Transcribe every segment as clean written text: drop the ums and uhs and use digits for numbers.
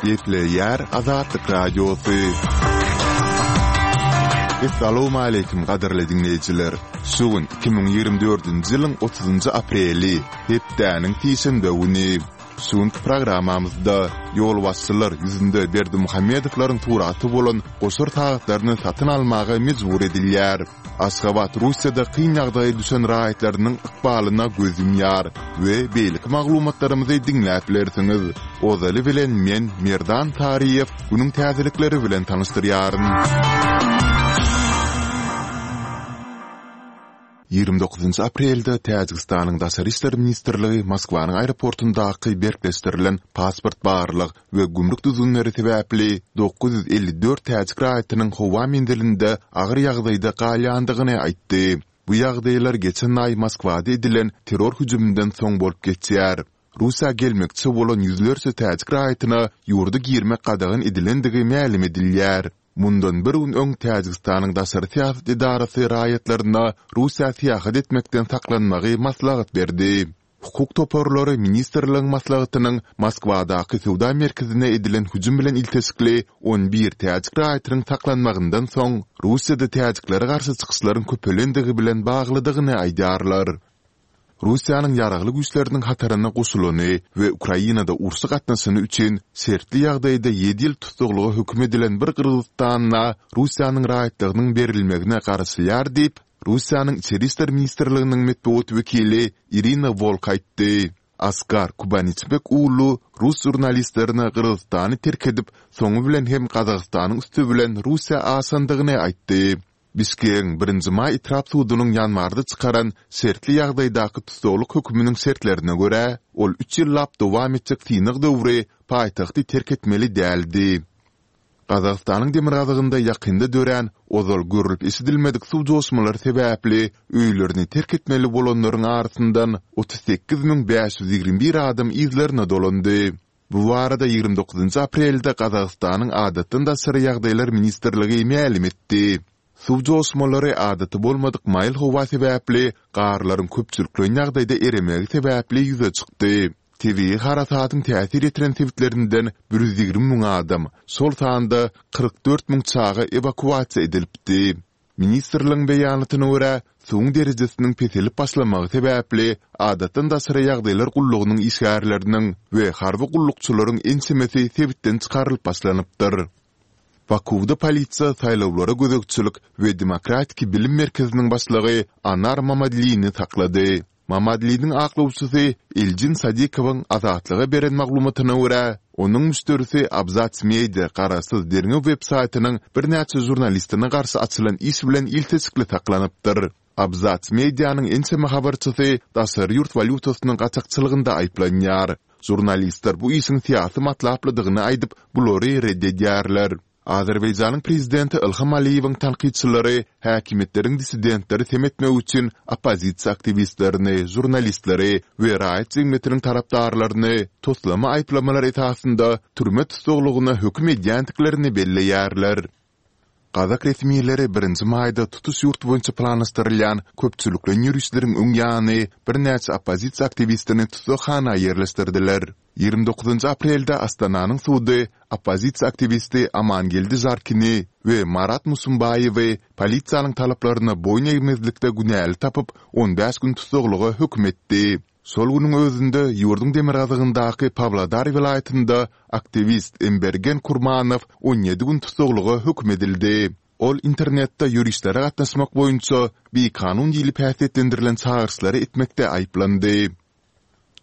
Gepleýär Azatlyk Radiosy. Essalawmaleýkim gadyrly diňleýjiler! Şu gün 2024-nji ýylyň 30-njy apreli, hepdäniň sişenbe güni. Şu günki programmamyzda ýolbaşçylar ýüzünde Berdimuhamedowlaryň suraty bolan goşar sagatlaryny satyn almaga mejbur edilýär. Aşgabat Russiýada kyn ýagdaýa düşen raýatlarynyň ykbalyna göz ýumýar we beýleki maglumatlarymyzy diňläp bilersiňiz. Ozaly bilen men, Merdan Saryýew, günüň täzelikleri bilen tanyşdyrýaryn. 29 aprelde Täjigistanyň Daşary işler ministrligi Moskwanyň aeroportundaky berkleşdirilen pasport barlag we gümrük düzgünleri sebäpli 954 täjik raýatynyň howa menzilinde agyr ýagdaýda galýandygyny aýtdy. Bu ýagdaýlar geçen aý Moskwada edilen terror hüjüminden soň bolup geçýär. Russiýa gelmekçi bolan ýüzlerçe täjik raýatyna ýurda girmek gadagan edilendigi mälim edilýär. Mundan bir gün öň Täjigistanyň daşary syýasat edarasy raýatlaryna Russiýa syýahat etmekden saklanmagy maslahat berdi. Hukuk toparlary ministrligiň maslahatynyň Moskwadaky söwda merkezine edilen hüjüm bilen ilteşikli 11 täjik raýatynyň saklanmagyndan soň Russiýada täjiklere garşy çykyşlaryň köpelendigi bilen baglydygyny aýdýarlar. Russiýanyň Ýaragly Güýçleriniň hataryna goşulany we Ukrainada urşa gatnaşany üçin şertli ýagdaýda ýedi ýyl tussaglyga höküm edilen bir gyrgyzystanla Russiýanyň raýatlygynyň berilmegine garaşylýar diýip, Russiýanyň Içeri işler ministrliginiň metbugat wekili Irina Wolk aýtdy. Askar Kubanyçbek uulu rus žurnalistlerine Gyrgyzystany terk edip, soňy bilen hem Gazagystanyň üsti bilen Russiýa aşandygyny aýtdy. Bişkegiň Birinji maý etrap sudunyň ýanwarda çykaran şertli ýagdaýdaky tussaglyk höküminiň şertlerine görä, ol üç ýyllap dowam etjek synag döwri paýtagty terk etmeli däldi. Gazagystanyň demirgazygynda ýakynda dörän, ozal görlüp-eşidilmedik suw joşmalary sebäpli öýlerini terk etmeli bolanlaryň arasyndan 38 521 adam yzlaryna dolandy. Bu barada 29 aprelde Gazagystanyň Adatdan daşary ýagdaýlar ministrligi mälim etdi. Suw joşmalary adaty bolmadyk maýyl howa sebäpli garlaryň köpçülikleýin ýagdaýda eremegi sebäpli ýüze çykdy. Tebigy harasatyň täsir ýetiren sebitlerinden 120 müň adam, şol sanda 44 müň çaga ewakuasiýa edilipdi. Ministrligiň beýanatyna görä, suwuň derejesiniň peselip başlamagy sebäpli Adatdan daşary ýagdaýlar gullugynyň işgärleriniň we harby gullukçylaryň ençemesi sebitden çykarylyp başlanypdyr. Bakuwda polisiýa saýlawlara gözegçilik we demokratiki bilim merkeziniň başlygy Anar Mamadlini saklady. Mamadliniň aklawçysy Eljin Sadikowyň Azatlyga beren maglumatyna görä, onuň müşderisi Abzats Media garaşsyz derňew websaýtynyň birnäçe žurnalistine garşy açylan iş bilen ilteşikli saklanypdyr. Abzats Medianyň ençeme habarçysy daşary ýurt walýutasynyň gaçakçylygynda aýyplanýar. Žurnalistler bu işiň syýasy matlaplydygyny aýdyp, bulary ret edýärler. Azerbaýjanyň prezidenti Ilham Aliýewiň tankytçylary häkimiýetleriň dissidentleri sem etmek üçin oppozisiýa aktiwistlerini, žurnalistleri we raýat jemgyýetiniň tarapdarlaryny toslama aýyplamalar esasynda türme tussaglygyna höküm edýändiklerini belleýärler. Gazak resmileri birinji maýda tutuş ýurt boýunça planlaşdyrylýan köpçülikleýin ýörişleriň öň ýany birnäçe oppozisiýa aktiwistini tussaghana ýerleşdirdiler. 29 aprelde Astananyň sudy oppozisiýa aktiwisti Amangeldi Žarkini we Marat Musumbaýewi polisiýanyň talaplaryna boýun egmezlikde günäli tapyp, 15 gün tussaglyga höküm etdi. Şol günüň özünde ýurduň demirgazygyndaky Pawlodar welaýatynda aktiwist Embergen Kurmanow 17 gün tussaglyga höküm edildi. Ol internetde ýörişlere gatnaşmak boýunça bikanun diýlip häsiýetlendirilen çagyryşlary etmekde aýyplandy.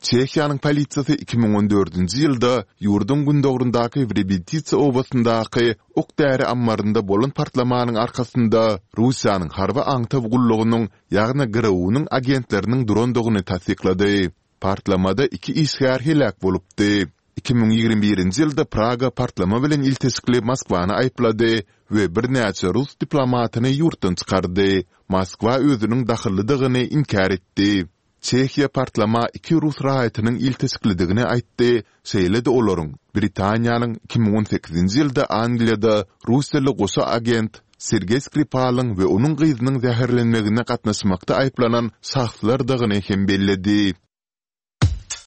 Çehiýanyň polisiýasy 2014-nji ýylda ýurduň gündogaryndaky Wrebititsa obasyndaky ok-däri ammarynda bolan partlamanyň arkasynda Russiýanyň harby aňtaw gullugynyň, ýagny GRU-nyň agentleriniň durandygyny tassyklady. Partlamada iki işgär heläk bolupdy. 2021-nji ýylda Praga partlama bilen ilteşikli Moskwany aýyplady we birnäçe rus diplomatyny ýurtdan çykardy. Moskwa özüniň dahyllydygyny inkär etdi. Çehiýa partlama iki rus raýatynyň ilteşiklidigini aýtdy, şeýle-de olaryň Britaniýanyň 2018-nji ýylda Angliýada russiýaly goşa agent Sergeý Skripalyň we onuň gyzynyň zäherlenmegine gatnaşmakda aýyplanan şahslardygyny hem belledi.